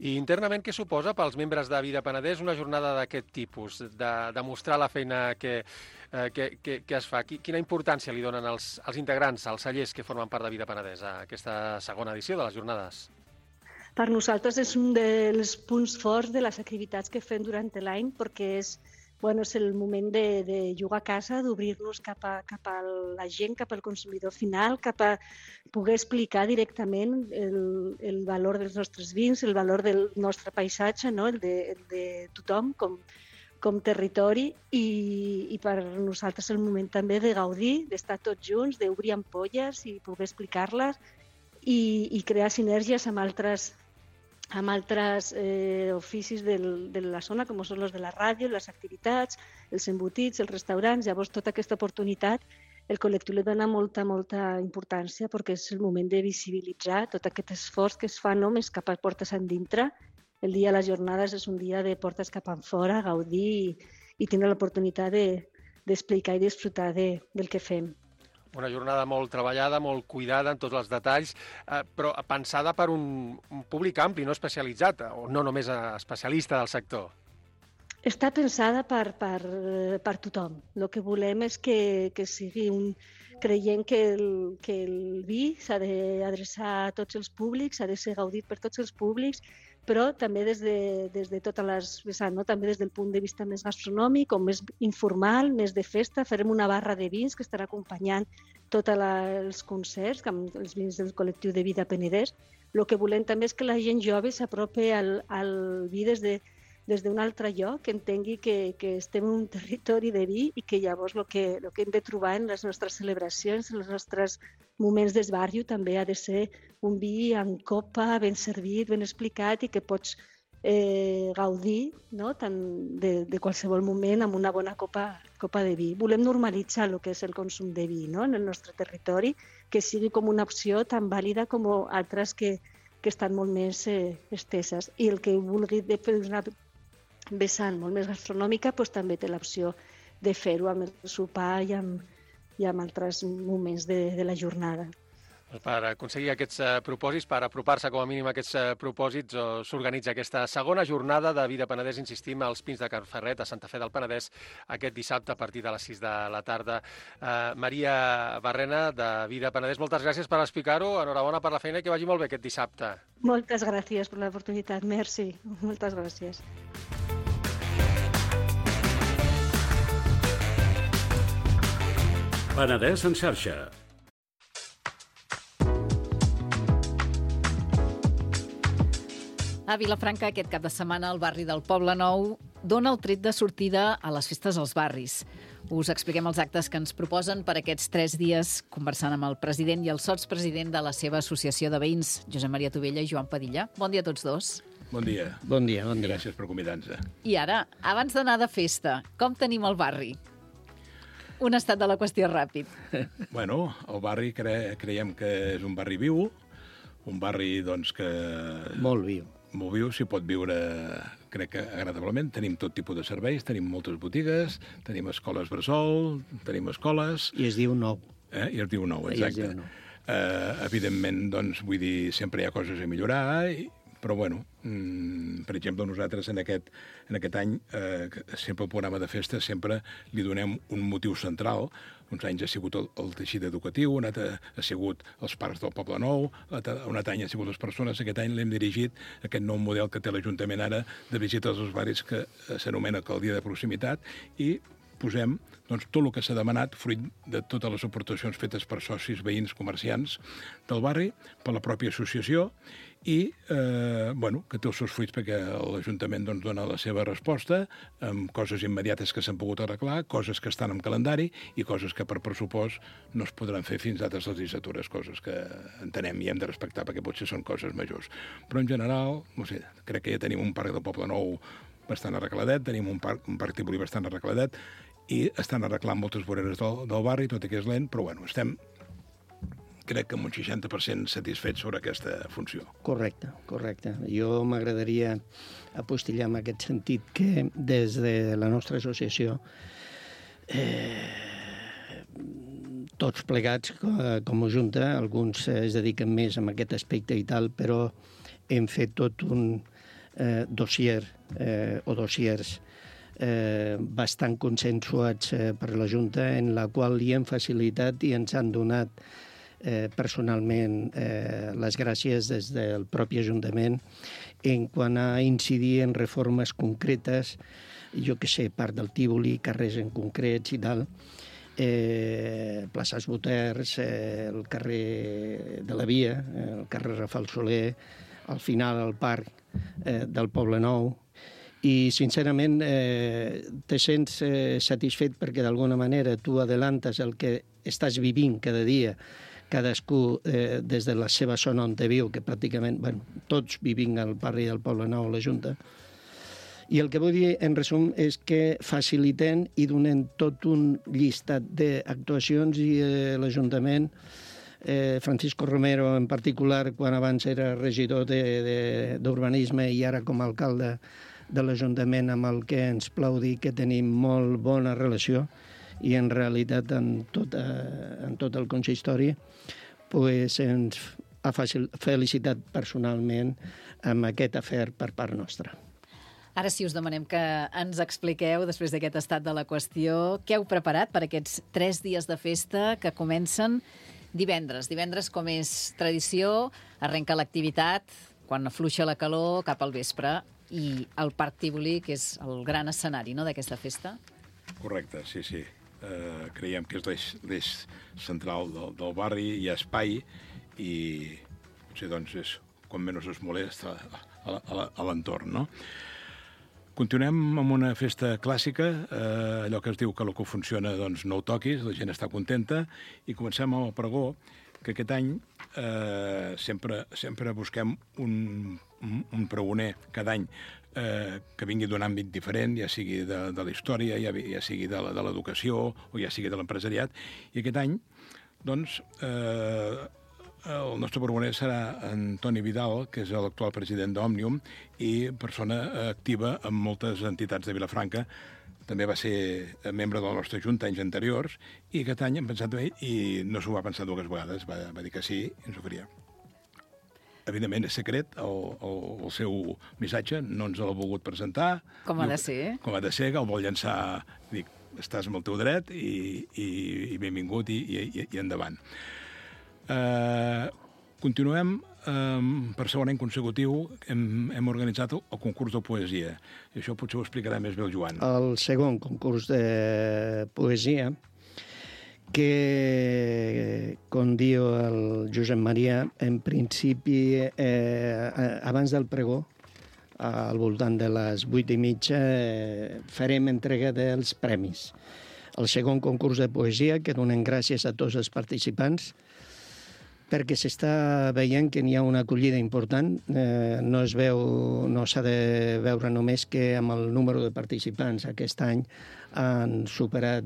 I: I internament què suposa pels membres de Vida Penedès una jornada d'aquest tipus, de mostrar la feina que es fa? Quina importància li donen els integrants, els cellers que formen part de Vida Penedès a aquesta segona edició de les jornades?
J: Per nosaltres és un dels punts forts de les activitats que fem durant l'any, perquè és el moment de jugar a casa, d'obrir-nos cap a la gent, cap al consumidor final, cap a poder explicar directament el valor dels nostres vins, el valor del nostre paisatge, no? el de tothom com territori, i per nosaltres és el moment també de gaudir, d'estar tots junts, d'obrir ampolles i poder explicar-les i crear sinergies amb altres oficis de la zona, com són els de la ràdio, les activitats, els embotits, els restaurants. Llavors, tota aquesta oportunitat, el col·lectiu li dona molta importància perquè és el moment de visibilitzar tot aquest esforç que es fa només cap a portes endintre. El dia de les jornades és un dia de portes cap enfora, gaudir i tenir l'oportunitat d'explicar i disfrutar del que fem.
I: Una jornada molt treballada, molt cuidada en tots els detalls, però pensada per un públic ampli, no especialitzat, o no només especialista del sector.
J: Està pensada per tothom. El que volem és que sigui creient que el vi s'ha d'adreçar a tots els públics, s'ha de ser gaudit per tots els públics, però també des de totes les vessants, no? També des del punt de vista més gastronòmic o més informal, més de festa. Farem una barra de vins que estarà acompanyant tots els concerts amb els vins del col·lectiu de Vida Penedès. El que volem també és que la gent jove s'apropi al vi des d'un altre lloc, que entengui que estem en un territori de vi i que llavors el que hem de trobar en les nostres celebracions, en els nostres moments d'esbarjo, també ha de ser un vi en copa, ben servit, ben explicat i que pots gaudir, no? Tant de qualsevol moment amb una bona copa de vi. Volem normalitzar el que és el consum de vi, no? En el nostre territori, que sigui com una opció tan vàlida com altres que estan molt més esteses. I el que vulgui fer una vessant molt més gastronòmica també té l'opció de fer-ho amb el sopar i amb altres moments de la jornada.
I: Per aconseguir aquests propòsits, per apropar-se com a mínim a aquests propòsits, s'organitza aquesta segona jornada de Vida Penedès, insistim, als Pins de Can Ferret, a Santa Fe del Penedès, aquest dissabte a partir de les 6 de la tarda. Maria Barrena, de Vida Penedès, moltes gràcies per explicar-ho, enhorabona per la feina i que vagi molt bé aquest dissabte.
J: Moltes gràcies per l'oportunitat, merci, moltes gràcies.
G: Penedès en xarxa.
D: A Vilafranca, aquest cap de setmana, al barri del Poble Nou, dona el tret de sortida a les festes als barris. Us expliquem els actes que ens proposen per aquests 3 dies, conversant amb el president i el sotspresident de la seva associació de veïns, Josep Maria Tovella i Joan Padilla. Bon dia a tots dos.
E: Bon dia.
K: Bon dia, bon dia.
E: Gràcies per convidar-nos.
D: I ara, abans d'anar de festa, com tenim el barri? Un estat de la qüestió ràpid.
E: Bueno, el barri creiem que és un barri viu, un barri doncs, que...
K: Molt viu.
E: Molt viu, s'hi pot viure, crec que agradablement. Tenim tot tipus de serveis, tenim moltes botigues, tenim escoles bressol, tenim escoles...
K: I es diu nou.
E: I es diu nou, exacte. Evidentment, doncs, vull dir, sempre hi ha coses a millorar, però, bueno, per exemple, nosaltres en aquest any, sempre al programa de festa, sempre li donem un motiu central. Uns anys ha sigut el teixit educatiu, un altre ha sigut els parcs del Poble Nou, un altre any ha sigut les persones. Aquest any l'hem dirigit a aquest nou model que té l'Ajuntament ara de visites als barris que s'anomena Alcaldia de Proximitat, i posem doncs, tot el que s'ha demanat fruit de totes les aportacions fetes per socis, veïns, comerciants del barri, per la pròpia associació, i que té els seus fruits perquè l'Ajuntament doncs, dona la seva resposta amb coses immediates que s'han pogut arreglar, coses que estan en calendari i coses que per pressupost no es podran fer fins a altres legislatures, coses que entenem i hem de respectar perquè potser són coses majors. Però en general, no sé, crec que ja tenim un parc del Poble Nou bastant arregladet, tenim un parc Tívoli bastant arregladet i estan arreglant moltes voreres del barri, tot i que és lent, però bueno, estem crec que amb un 60% satisfets sobre aquesta funció.
K: Correcte. Jo m'agradaria apostillar en aquest sentit que des de la nostra associació tots plegats com a Junta, alguns es dediquen més a aquest aspecte i tal, però hem fet tot un dossier o dossiers bastant consensuats per la Junta, en la qual li hem facilitat i ens han donat personalment les gràcies des del propi Ajuntament en quant a incidir en reformes concretes, jo que sé, part del Tívoli, carrers en concrets i tal, places Boters, el carrer de la Via, el carrer Rafal Soler, al final el parc del Poble Nou, i sincerament te sents satisfet perquè d'alguna manera tu adelantes el que estàs vivint cada dia, cadascú des de la seva zona on te viu, que pràcticament, tots vivim al barri del Poble Nou, la Junta. I el que vull dir, en resum, és que facilitem i donem tot un llistat d'actuacions i l'Ajuntament, Francisco Romero en particular, quan abans era regidor d'Urbanisme i ara com a alcalde de l'Ajuntament, amb el que ens plau dir que tenim molt bona relació, i en realitat en tot el consistori ens ha felicitat personalment amb aquest afer per part nostra.
D: Ara sí us demanem que ens expliqueu, després d'aquest estat de la qüestió, què heu preparat per aquests 3 dies de festa que comencen divendres. Divendres, com és tradició, arrenca l'activitat, quan afluixa la calor, cap al vespre, i el Parc Tívoli, que és el gran escenari, no?, d'aquesta festa.
E: Correcte, sí. Creiem que és l'eix central del barri, hi ha espai i potser doncs és quan menys es molesta a l'entorn, no? Continuem amb una festa clàssica, allò que es diu que el que funciona doncs no ho toquis, la gent està contenta, i comencem amb el pregó, que aquest any sempre busquem un pregoner cada any que vingui d'un àmbit diferent, ja sigui de la història, ja sigui de l'educació o ja sigui de l'empresariat. I aquest any, doncs, el nostre pregoner serà Antoni Vidal, que és l'actual president d'Òmnium i persona activa en moltes entitats de Vilafranca. També va ser membre de la nostra Junta anys anteriors i aquest any hem pensat en ell i no s'ho va pensar 2 vegades, va dir que sí i ens ho faria. Evidentment és secret el seu missatge, no ens l'ha volgut presentar.
D: Com ha de ser.
E: Com ha de ser, que el vol llançar, dic, estàs amb el teu dret i benvingut i endavant. Continuem, per segon any consecutiu, hem organitzat el concurs de poesia. I això potser ho explicarà més bé el Joan.
K: El segon concurs de poesia, que, com diu el Josep Maria, en principi, abans del pregó, al voltant de les 8:30, farem entrega dels premis. El segon concurs de poesia, que donem gràcies a tots els participants, perquè s'està veient que n'hi ha una acollida important. No s'ha de veure només que amb el número de participants aquest any han superat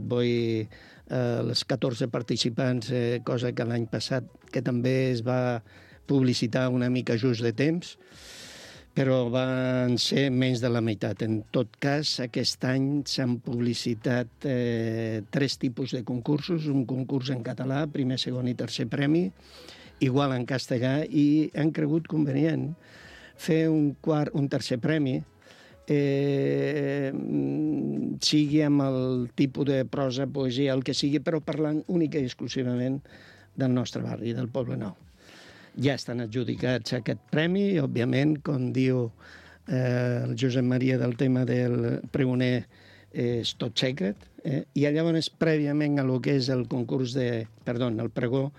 K: els 14 participants, cosa que l'any passat, que també es va publicitar una mica just de temps, però van ser menys de la meitat. En tot cas, aquest any s'han publicitat 3 tipus de concursos, un concurs en català, primer, segon i tercer premi, igual en castellà, i han cregut convenient fer un tercer premi, sigui amb el tipus de prosa, poesia, el que sigui, però parlant única i exclusivament del nostre barri, del Poble Nou. Ja estan adjudicats a aquest premi, i, òbviament, com diu el Josep Maria del tema del pregoner, és tot secret, i llavors, prèviament a lo que és el el pregó,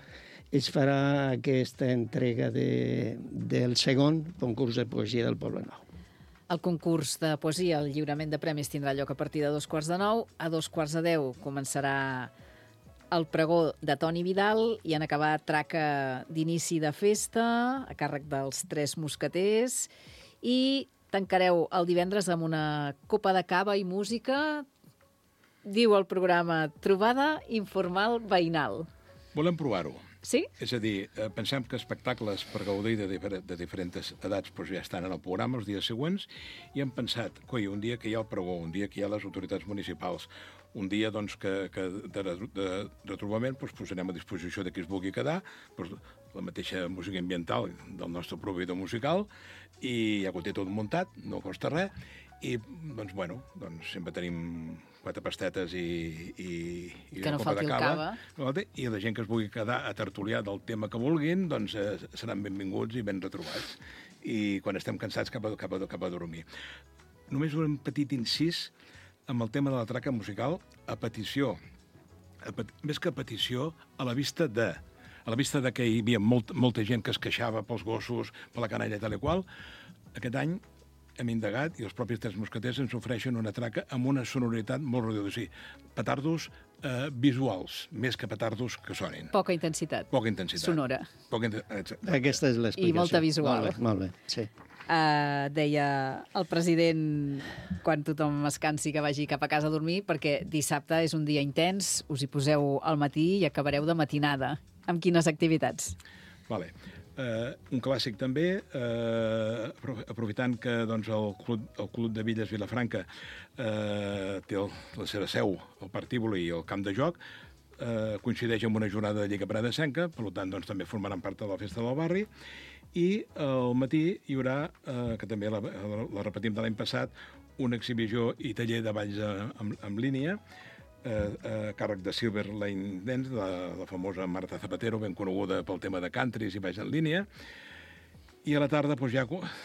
K: es farà aquesta entrega del segon concurs de poesia del Poble Nou.
D: El concurs de poesia, el lliurament de premis, tindrà lloc a partir de 9:15. A 9:45 començarà el pregó de Toni Vidal i en acabar traca d'inici de festa a càrrec dels 3 mosqueters, i tancareu el divendres amb una copa de cava i música. Diu el programa Trobada Informal Veïnal.
L: Volem provar-ho.
D: Sí?
L: És a dir, pensem que espectacles per gaudir de diferents edats ja estan en el programa els dies següents, i hem pensat, un dia que hi ha el pregó, un dia que hi ha les autoritats municipals, un dia que de retrobament posarem a disposició de qui es vulgui quedar la mateixa música ambiental del nostre proveïdor musical, i ja ho té tot muntat, no costa res, i sempre tenim 4 pastetes i
D: que no
L: una copa
D: falti
L: de
D: el
L: cava, i la gent que es vulgui quedar a tertuliar del tema que vulguin, seran benvinguts i ben retrobats. I quan estem cansats, cap a dormir. Només un petit incís amb el tema de la traca musical, a petició, més que a petició, a la vista de que hi havia molta gent que es queixava pels gossos, per la canalla i tal i qual. Aquest any hem indagat, i els propis 3 mosqueters ens ofereixen una traca amb una sonoritat molt reduïda. O sigui, petardos visuals, més que petardos que sonin.
D: Poca intensitat. Sonora.
K: Aquesta és l'explicació.
D: I molta visual.
K: Molt bé, sí.
D: Deia el president, quan tothom es cansi, que vagi cap a casa a dormir, perquè dissabte és un dia intens, us hi poseu al matí i acabareu de matinada. Amb quines activitats?
L: Vale. Un clàssic també, aprofitant que el Club de Villes Vilafranca té la seva seu, el Parc Tívoli i el camp de joc, coincideix amb una jornada de Lliga Pradesenca, per tant també formaran part de la festa del barri, i al matí hi haurà, que també la repetim de l'any passat, una exhibició i taller de balls en línia, a càrrec de Silver Lane Dance, de la famosa Marta Zapatero, ben coneguda pel tema de countries i balls en línia. I a la tarda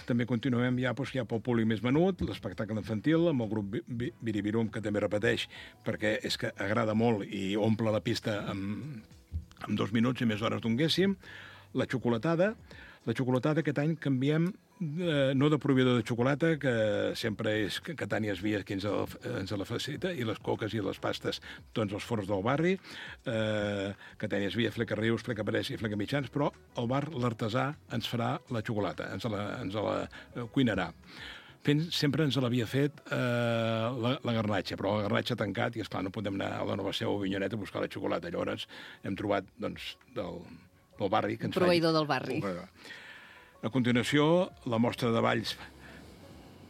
L: també continuem ja pel públic més menut, l'espectacle infantil, amb el grup Biribirum, que també repeteix, perquè és que agrada molt i omple la pista en 2 minuts i més hores donguéssim. La xocolatada aquest any canviem, no de proveïdor de xocolata, que sempre és Catània Esvia qui ens la facilita, i les coques i les pastes, doncs els forns del barri, Catània Esvia, Fleca Rius, Fleca Parés i Fleca Mitjans, però el bar, l'artesà, ens farà la xocolata, ens la cuinarà. Sempre ens l'havia fet la garnatxa, però la garnatxa ha tancat i, esclar, no podem anar a la Nova Seu o Avinyonet a buscar la xocolata. Llavors hem trobat, del barri.
D: Proveïdor del barri.
L: A continuació, la mostra de balls,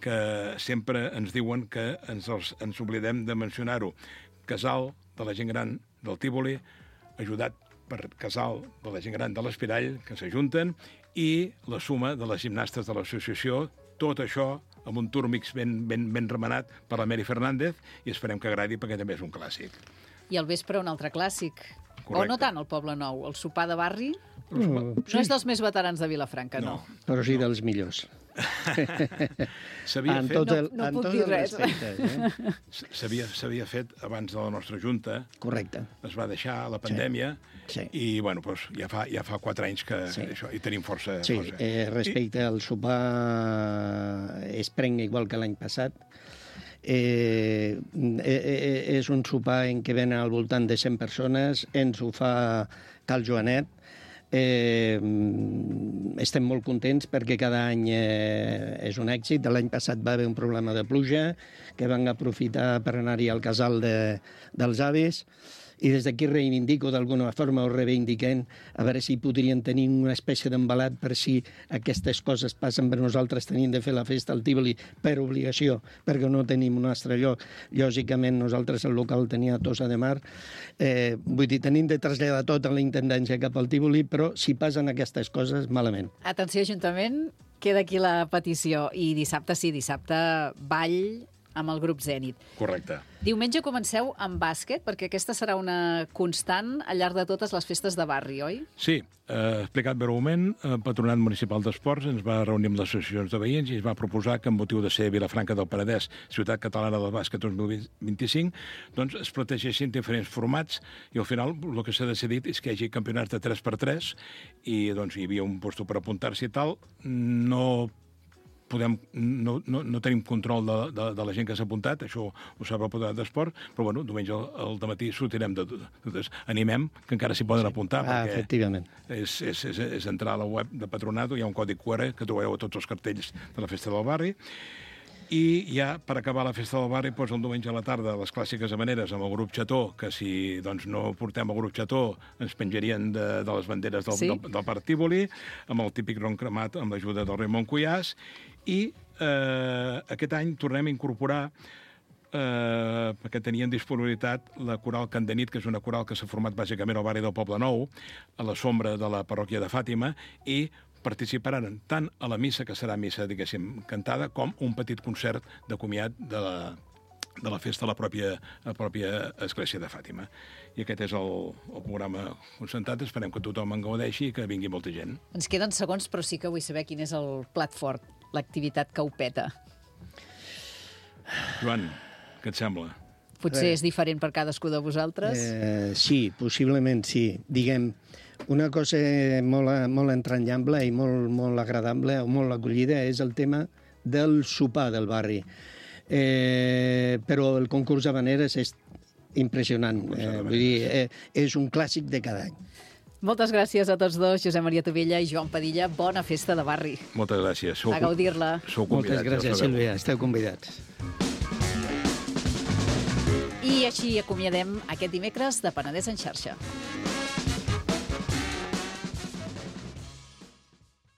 L: que sempre ens diuen que ens oblidem de mencionar-ho. Casal de la gent gran del Tívoli, ajudat per Casal de la gent gran de l'Espirall, que s'ajunten, i la suma de les gimnastes de l'associació, tot això amb un túrmix ben remenat per la Mary Fernández, i esperem que agradi perquè també és un clàssic.
D: I al vespre un altre clàssic.
L: Correcte.
D: O no tant, el Poble Nou, el sopar de barri. No és dels més veterans de Vilafranca, no.
K: Però sí dels millors.
L: S'havia fet...
D: No puc dir res.
L: S'havia fet abans de la nostra junta.
K: Correcte.
L: Es va deixar la pandèmia i, ja fa 4 anys que això, i tenim força...
K: Sí, respecte al sopar es prenga igual que l'any passat. És un sopar en què venen al voltant de 100 persones, ens ho fa Cal Joanet. Estem molt contents perquè cada any és un èxit. L'any passat va haver un problema de pluja que van aprofitar per anar-hi al casal dels avis, i des d'aquí reivindico, d'alguna forma ho reivindiquem, a veure si podrien tenir una espècie d'embalat per si aquestes coses passen per nosaltres. Tenim de fer la festa al Tívoli per obligació, perquè no tenim un altre lloc. Lògicament, nosaltres el local tenia a Tossa de Mar. Vull dir, tenim de traslladar tot a la intendència cap al Tívoli, però si passen aquestes coses, malament.
D: Atenció, Ajuntament, queda aquí la petició. I dissabte, sí, dissabte, ball amb el grup Zènit.
L: Correcte.
D: Diumenge comenceu amb bàsquet, perquè aquesta serà una constant al llarg de totes les festes de barri, oi?
L: Sí, explicat breument, el Patronat Municipal d'Esports ens va reunir amb les associacions de veïns i es va proposar que, amb motiu de ser Vilafranca del Penedès, Ciutat Catalana del Bàsquet 2025, doncs es protegeixin diferents formats i al final el que s'ha decidit és que hi hagi campionats de 3x3 i doncs hi havia un puesto per apuntar-s'hi i tal. No tenim control de la gent que s'ha apuntat, això ho sap el Patronat d'Esport, però bueno, diumenge al dematí sortirem de totes. Animem que encara s'hi poden apuntar, perquè
K: efectivament.
L: És entrar a la web de Patronat, hi ha un codi QR que trobareu a tots els cartells de la Festa del Barri, i ja per acabar la Festa del Barri, doncs el diumenge a la tarda, les clàssiques hamaneres amb el grup Xató, que si doncs, no portem el grup Xató ens penjarien de les banderes del Parc Tívoli, amb el típic ron cremat amb l'ajuda del Raimon Cuyàs, i aquest any tornem a incorporar, perquè tenien disponibilitat, la coral Candanit, que és una coral que s'ha format bàsicament al barri del Poble Nou, a la sombra de la parròquia de Fàtima, i participaran tant a la missa, que serà missa, diguéssim, cantada, com un petit concert de comiat de la festa a la pròpia església de Fàtima. I aquest és el programa concentrat. Esperem que tothom en gaudeixi i que vingui molta gent.
D: Ens queden segons, però sí que vull saber quin és el plat fort, l'activitat que ho peta.
L: Joan, què et sembla?
D: Potser és diferent per cadascú de vosaltres?
K: Sí, possiblement sí. Diguem, una cosa molt entranyable i molt agradable o molt acollida és el tema del sopar del barri. Però el concurs d'havaneres és impressionant. Vull dir, és un clàssic de cada any.
D: Moltes gràcies a tots dos, Josep Maria Tovella i Joan Padilla. Bona festa de barri.
L: Moltes gràcies.
D: A gaudir-la.
K: Moltes gràcies, Sílvia. Esteu convidats.
D: I així acomiadem aquest dimecres de Penedès en xarxa.